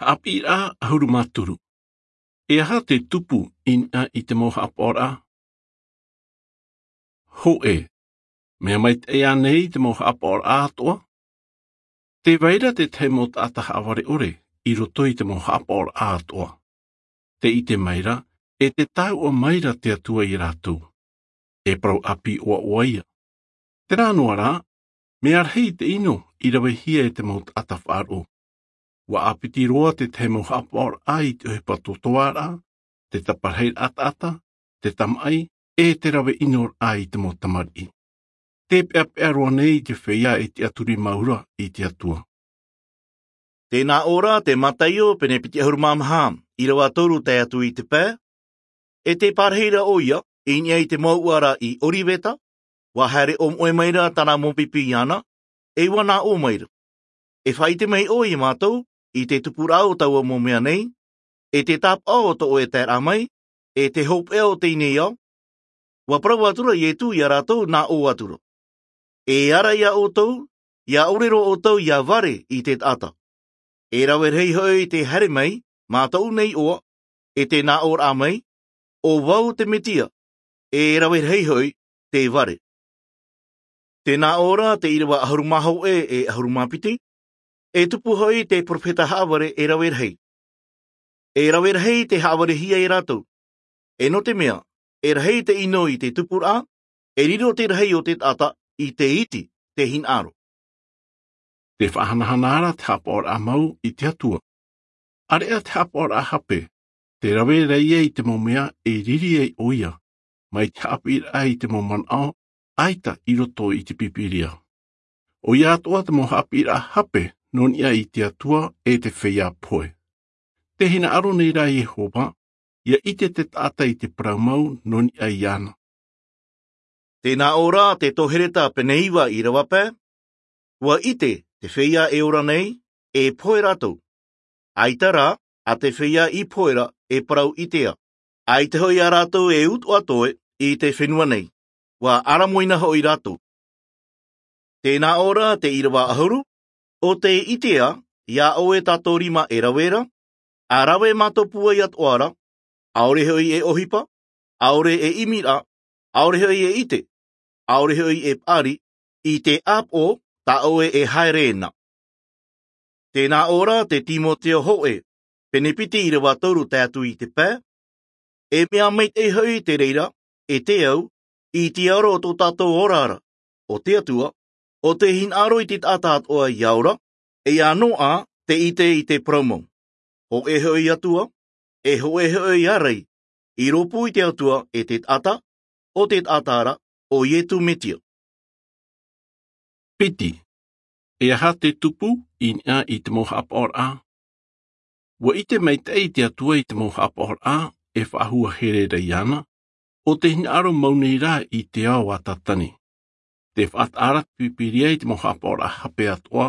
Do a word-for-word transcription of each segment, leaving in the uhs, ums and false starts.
Haʻapiʻiraʻa ʻahuru mā toru. E aha te tupu i niʻa i te mau haʻapaʻoraʻa? Hōʻē. Mea maitaʻi ānei te mau haʻapaʻoraʻa atoʻa? Tē vai ra te tahi mau taʻata haʻavare ʻore i roto i te mau haʻapaʻoraʻa atoʻa. Tē ʻite mai ra, e tē taʻa mai ra te Atua ia rātou. E parau ʻāpī ʻoaʻoa ia. Terā noa rā, mea rahi te ʻino i ravehia e te mau taʻata faʻaroʻo. ʻUa ʻāpiti roa te tahi mau haʻapaʻoraʻa i te ʻohipa tōtōʻaraʻa, te taparahi ʻataʻata, te tamaʻi, e te rave ʻino raʻa i te mau tamariʻi. Tē peʻapeʻa roa nei te feiā e tiʻaturi mau ra i te Atua. Tēnā ʻō ra te Mataio pene piti ʻahuru mā maha, ʻīrava toru tae atu i te pae. E tē parahi ra ʻoia i niʻa i te mouʻa ra i Oriveta, ʻua haere ʻōmoʻe mai ra tāna mau pipi iāna, e ʻua nā ʻō mai ra, E faʻaʻite mai ʻoe ia mātou i te tupuraʻa o taua mau mea nei, e te tāpaʻo o tō ʻoe taeraʻa mai, e te hopeʻa o teie nei ao? ʻUa parau atu ra Ietu ia rātou nā ʻō atu ra, E ara ia ʻoutou, ia ʻore roa ʻoutou ia vare i te taʻata. E rave rahi hoʻi te haere mai mā tōʻu nei iʻoa, e te nā ʻōraʻa mai, ʻO vau te Metia, e rave rahi hoʻi te vare. Tēnā ʻō ra te ʻīrava ʻahuru mā hōʻē e ʻahuru mā piti, E tupu hoʻi te peropheta haʻavare e rave rahi. E rave rahi te haʻavarehia e rātou. E nō te mea, e rahi te ʻino i te tupuraʻa, e riro te rahi o te taʻata i te iti, te hinaʻaro. Te faʻahanahana ra te haʻapaʻoraʻa mau i te Atua. ʻĀreʻa te haʻapaʻoraʻa hape, tē rave ra ia i te mau mea e riri ai ʻoia, mai te haʻapiʻiraʻa i te mau manaʻo, ʻaita i roto i te Pīpīria. ʻOia atoʻa te mau haʻapiʻiraʻa hape nō niʻa i te Atua e te feiā pohe. Tē hinaʻaro nei rā Iehova, ia ʻite te taʻata i te parau mau nō niʻa iāna. Tēnā ʻō ra te Tohereta pene iva ʻīrava pae, ʻUa ʻite te feiā e ora nei, e pohe rātou. ʻAita rā, a te feiā i pohe ra e parau ʻitea. ʻAita hoʻi a rātou e utuʻa toe i te fenua nei, ʻua ʻaramoina hoʻi rātou. Tēnā ʻō ra te ʻīrava ʻahuru, ʻO te ʻitea, ia ʻoe tā tō rima e rave ra, a rave mā tō pūai atoʻa ra, ʻaore hoʻi e ʻohipa, ʻaore e ʻimiraʻa, ʻaore hoʻi e ʻite, ʻaore hoʻi e paʻari, i te ʻāpoʻo tā ʻoe e haere na. Tēnā ʻō ra te Timoteo hōʻē, pene piti ʻīrava toru tae atu i te pae, E mea maitaʻi hoʻi te reira, e te au, i te aro o tō tātou ora ra, o te Atua, ʻo te hinaʻaro i te taʻata atoʻa ia ora, e ia noaʻa te ʻite i te parau mau. Hōʻē hoʻi Atua, e hōʻē hoʻi ārai, i rōpū i te Atua e te taʻata, ʻo te taʻata ra, ʻo Ietu Metia. Piti. E aha te tupu i niʻa i te mau haʻapaʻoraʻa? ʻUa ʻite maitaʻi te Atua i te mau haʻapaʻoraʻa e faʻahua here ra iāna, ʻo te hinaʻaro mau nei rā i te ao a Tātane. Tē faʻataʻa ra te Pīpīria i te mau haʻapaʻoraʻa hape atoʻa,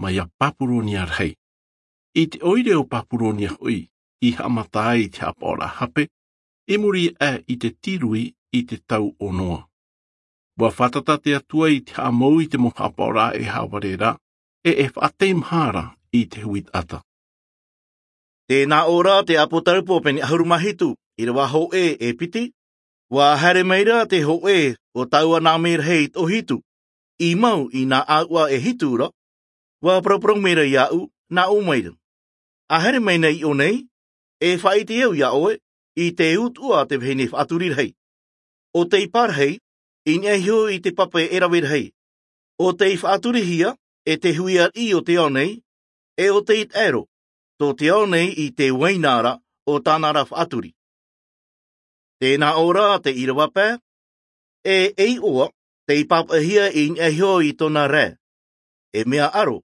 mai ia Papuronia rahi. I te ʻoire o Papuronia hoʻi, i haʻamata ai i te haʻapaʻoraʻa hape, i muri aʻe i te tirui i te tau o Noa. ʻUa fātata te Atua i te haʻamou i te mau haʻapaʻoraʻa e haʻavare ra, e e faʻateimaha ra i te hui taʻata. Tēnā ʻō ra te Apotarupo pene ʻahuru mā hitu, ʻīrava hōʻē e piti, ʻUa haere mai ra te hōʻē o taua nā merahi e toʻohitu, i mau i nā ʻāuʻa e hitu ra, ʻua paraparau mai ra iāʻu, nā ʻō mai ra, A haere mai nei iʻō nei, e faʻaʻite au iā ʻoe, i te utuʻa a te vahine faʻaturi rahi. ʻO tei pārahi, i niʻa iho i te pape e rave rahi. ʻO tei faʻaturihia, e te hui ariʻi o te ao nei, e ʻo tei taʻero, tō te ao nei i te uaina ra, o tāna ra faʻaturi. Tēnā ʻō ra te ʻīrava pae, e, e iʻoa, tei pāpaʻihia i niʻa iho i tōna rae. E mea ʻaro,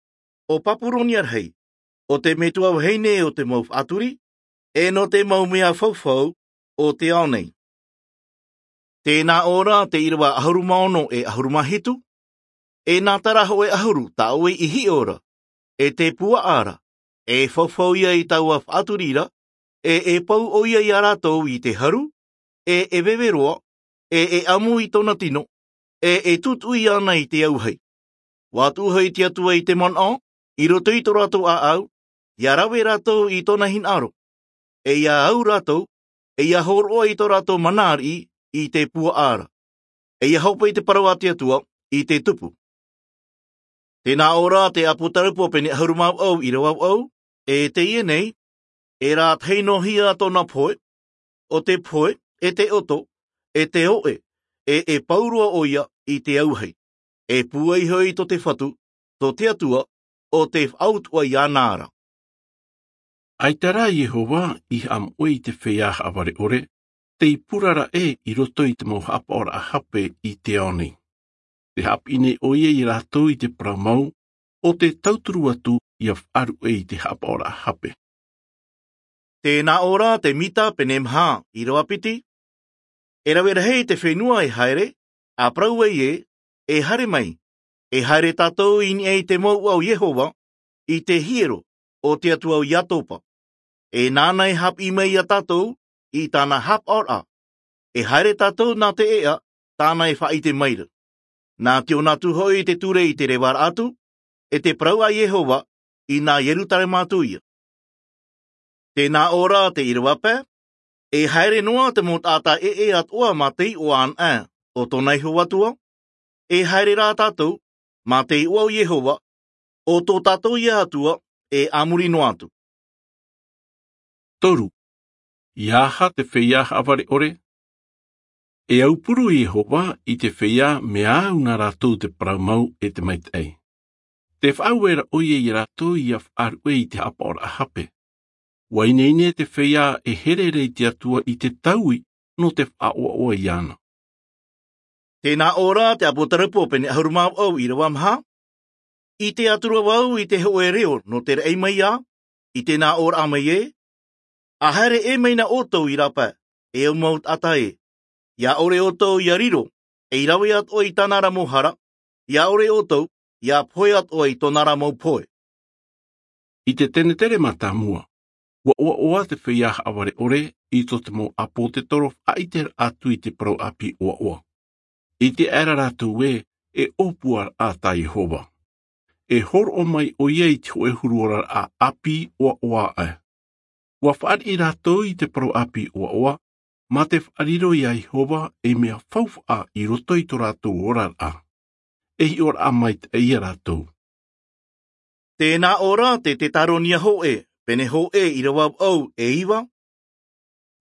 ʻo Papuronia rahi, ʻo te metua vahine o te mau faʻaturi, e nō te mau mea faufau o te ao nei. Tēnā ʻō ra te ʻīrava ʻahuru mā ono e ʻahuru mā hitu, e nā terā hōʻē ʻahuru tā ʻoe i hiʻo ra, e te puaʻa ra, e faufau ia i taua faʻaturi ra, e, e pau ʻoia iā rātou i te haru, e, e veve roa, e, e ʻamu i tōna tino, e, e tūtuʻi ana i te auahi. ʻUa tuʻu hoʻi te Atua i te manaʻo, i roto i tō rātou ʻāʻau, ia rave rātou i tōna hinaʻaro, e ia au rātou, e ia hōroʻa i tō rātou mana ariʻi i te puaʻa ra, e ia hope i te parau a te Atua i te tupu. Tēnā ʻō ra te ʻāpōtarupo pene ʻahuru mā vaʻu ʻīrava vaʻu, e teie nei, e rātahi noa hia tōna pohe, ʻo te pohe, e te ʻoto, e te oʻe, e e pau roa ʻoia i te auahi, e pūai hoʻi tō te Fatu, tō te Atua, ʻo te faʻautuʻa iāna ra. ʻAita rā Iehova i haʻamoʻe i te feiā haʻavare ʻore, tei purara ē i roto i te mau haʻapaʻoraʻa hape i te ao nei. Te haʻapiʻi nei ʻoia ia rātou i te parau mau, ʻo te tauturu atu ia faʻaruʻe i te haʻapaʻoraʻa hape. Tēnā ʻō ra te Mita pene maha ʻīrava piti, e rave rahi te fenua e haere, a parau ai ē, e haere mai, e haere tātou i niʻa i te mouʻa o Iehova, i te hiero o te Atua o Iakoba. E nāna e haʻapiʻi mai ia tātou i tāna haʻapaʻoraʻa. E haere tātou nā te ʻēʻa tāna e faʻaʻite mai ra. Nā te ʻōna atu hoʻi te ture i te revaraʻa atu, e te parau a Iehova, i nā Ierutarema atu ia. Tēnā ʻō ra te ʻīrava pae, e haere noa te mau taʻata ʻē ʻē atoʻa mā te iʻoa anaʻe o tōna iho atua, e haere rā tātou mā te iʻoa o Iehova, ʻo tō tātou ia Atua, e a muri noa atu. Toru, ia aha te feiā haʻavare ʻore? E aupuru Iehova i te feiā mea au nā rātou te parau mau e te maitaʻi. Te faʻaueraʻa ʻoia ia rātou ia faʻaruʻe i te haʻapaʻoraʻa hape. ʻUa ineine te feiā e here ra i te Atua i te taui nō te faʻaʻoaʻoa iāna. Tēnā ʻō ra te ʻāpōtarupo pene ʻahuru mā vaʻu ʻīrava maha, ʻite atu ra vau i te hōʻē reo nō te raʻi mai ā, i tēnā ʻōraʻa mai ē, a haere ʻē mai na ʻoutou i rāpae, e au mau taʻata ē, ia ʻore ʻoutou ia riro, ei rave atoʻa i tāna ra mau hara, ia ʻore ʻoutou ia pohe atoʻa i tōna ra mau pohe. I te tenetere mātāmua, ʻua ʻoaʻoa te feiā haʻavare ʻore i tō te mau ʻāpōsetolo faʻaʻiteraʻa atu i te parau ʻāpī ʻoaʻoa. ʻIte aʻera rātou ē, e ʻōpuaraʻa tā Iehova. E hōroʻa mai ʻoia i te hōʻē huru oraraʻa ʻāpī ʻoaʻoa aʻe. ʻUa fāriʻi rātou i te parau ʻāpī ʻoaʻoa, mā te faʻariro ia Iehova ei mea faufaʻa i roto i tō rātou oraraʻa. E hiʻoraʻa maitaʻi ia rātou. Tēnā ʻō ra te Tetaronia hōʻē, pene hōʻē ʻīrava vaʻu e iva.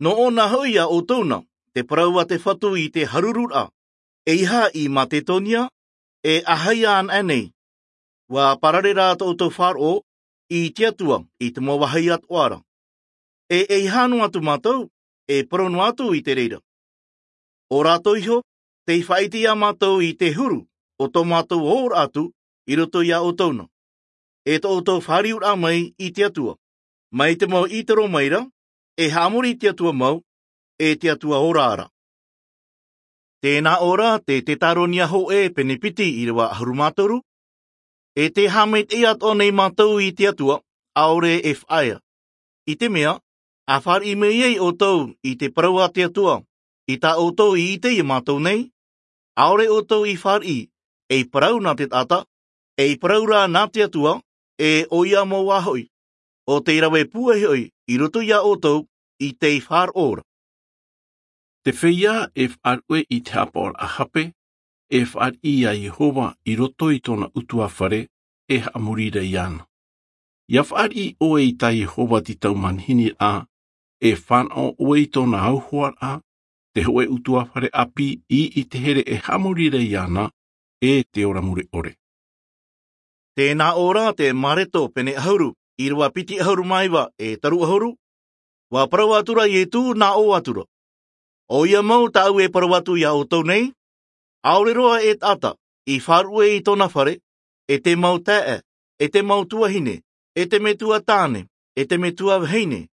Nō ʻōna hoʻi ia ʻoutou na, te parau a te Fatu i te harururaʻa, ʻeiaha i Maketonia, e ʻaita anaʻe nei. ʻUa parare rā tō ʻoutou faʻaroʻo i te Atua i te mau vāhi atoʻa ra. E ʻeiaha noa atu mātou, e parau noa atu i te reira. ʻO rātou iho, tei faʻaʻite ia mātou i te huru o tō mātou ora atu i roto ia ʻoutou na. E tō ʻoutou fāriuraʻa mai i te Atua, mai te mau ʻītoro mai ra, e haʻamori i te Atua mau, e te Atua ora ra. Tēnā ʻō ra te Tetaronia hōʻē pene piti ʻīrava ʻahuru mā toru, e tē haʻamaitaʻi atoʻa nei mātou i te Atua, ʻaore e faʻaea. I te mea, a fāriʻi mai ai ʻoutou i te parau a te Atua, i tā ʻoutou i ʻite ia mātou nei, ʻaore ʻoutou i fāriʻi, ei parau nā te taʻata, ei parau rā nā te Atua, e ʻoia mau ā hoʻi, ʻo tei rave pūai hoʻi i roto ia ʻoutou i tei faʻaroʻo ra. Te feiā e faʻaruʻe i te haʻapaʻoraʻa hape, e fāriʻi ia Iehova i roto i tōna ʻutuāfare, e haʻamori ra iāna. ʻIa fāriʻi ʻoe i tā Iehova te tau manihini ra, e fānaʻo ʻoe i tōna auhoaraʻa, te hōʻē ʻutuāfare ʻāpī i ʻite here e haʻamori ra iāna, e te ora mure ʻore. Tēnā ʻō ra te Mareko pene ʻahuru, ʻīrava piti ʻahuru mā iva e toru ʻahuru, ʻua parau atu ra Iesu nā ʻō atu ra. ʻOia mau tāʻu e parau atu ia ʻoutou nei, ʻaore roa e taʻata i faʻaruʻe i tōna fare, e te mau taeaʻe, e te mau tuahine, e te metua tāne, e te metua vahine,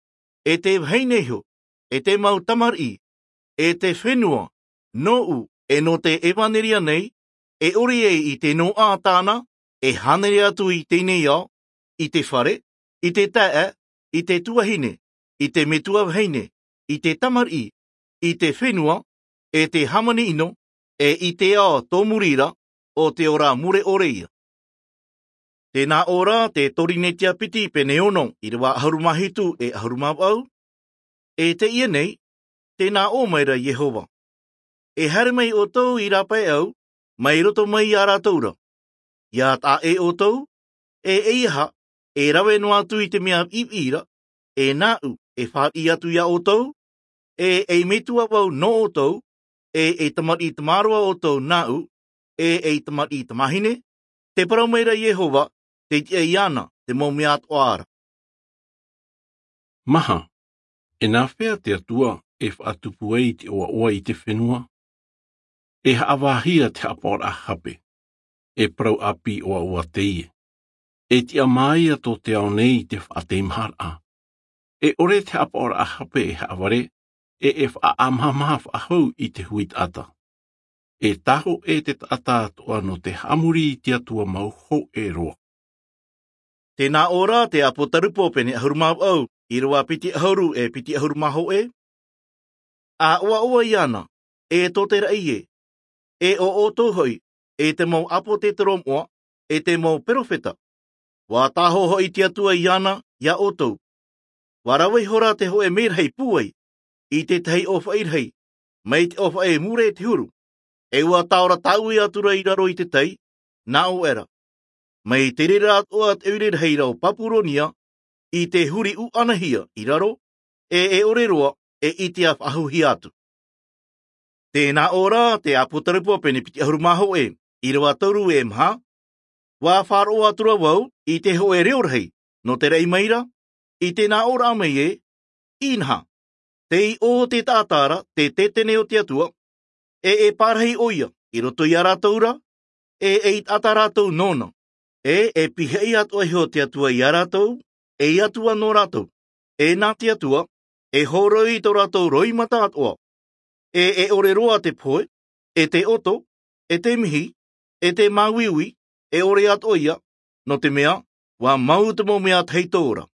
e te vahine iho, e te mau tamariʻi, e te fenua, nōʻu, e nō te ʻevaneria nei, e ʻore ai i te noaʻa tāna, e hānere atu i teie nei ao, i te fare, i te taeaʻe, i te tuahine, i te metua vahine, i te tamariʻi, i te fenua, e te hāmani ʻino, e i te ao tōmuri ra, ʻo te ora mure ʻore ia. Tēnā ʻō rā te Torinetia piti pene ono, ʻīrava ʻahuru mā hitu e ʻahuru mā vaʻu. E teie nei, tēnā ʻō mai ra Iehova: E haere mai ʻoutou i rāpae au, mai roto mai iā rātou ra. ʻIa taʻa ʻē ʻoutou, e ʻeiaha, e rave noa atu i te mea viʻiviʻi ra, e nāʻu e fāriʻi atu iā ʻoutou, e ei metua vau nō ʻoutou, e ei tamariʻi tamaroa ʻoutou nāʻu, e ei tamariʻi tamāhine, tē parau mai ra Iehova, tei tiʻa iāna te mau mea atoʻa ra. Maha, e nāfea te Atua e faʻatupu ai te ʻoaʻoa i te fenua? E haʻavāhia te haʻapaʻoraʻa hape, e parau ʻāpī ʻoaʻoa teie. E tiʻa māia tō te ao nei i te faʻateimaharaʻa. E ʻore te haʻapaʻoraʻa hape e haʻavare, e e faʻaʻamahamaha faʻahou i te hui taʻata. E tāhōʻē te taʻata atoʻa nō te haʻamori i te Atua mau hōʻē roa. Tēnā ʻō rā te Apotarupo pene ʻahuru mā vaʻu, ʻīrava piti ʻahuru e piti ʻahuru mā hōʻē. ʻA ʻoaʻoa iāna, e tō te raʻi ē, e ʻo ʻoutou hoʻi, e te mau ʻāpōtetoro moʻa, e te mau perofeta. ʻUa tāhō hoʻi te Atua iāna iā ʻoutou. ʻUa rave ihora te hōʻē mērahi pūai i te tahi ʻōfaʻi rahi, mai te ʻōfaʻi mure i te huru, e ʻua taora tāʻue atu ra i raro i te tai, nā ʻō ʻera. Mai te reira atoʻa te ʻoire rahi ra o Papuronia, i te huri ʻuʻanahia i raro, e e ʻore roa e ʻitea faʻahouhia atu. Tēnā ʻō rā te Apotarupo pene piti ʻahuru mā hōʻē, ʻīrava toru e maha. ʻUa faʻaroʻo atu ra vau i te hōʻē reo rahi nō te raʻi mai ra, i tēnā ʻōraʻa mai ē: Inaha, tei ʻō te taʻata ra te tētene o te Atua, e e pārahi ʻoia i roto iā rātou ra, e ei taʻata rātou nōna, e e pihaʻi atoʻa iho te Atua iā rātou, ei Atua nō rātou, e nā te Atua e hōroi tō rātou roimata atoʻa, e e ʻore roa te pohe, e te ʻoto, e te mihi, e te māuiui, e ʻore atoʻa ia, nō te mea ʻua mau te mau mea tahito ra.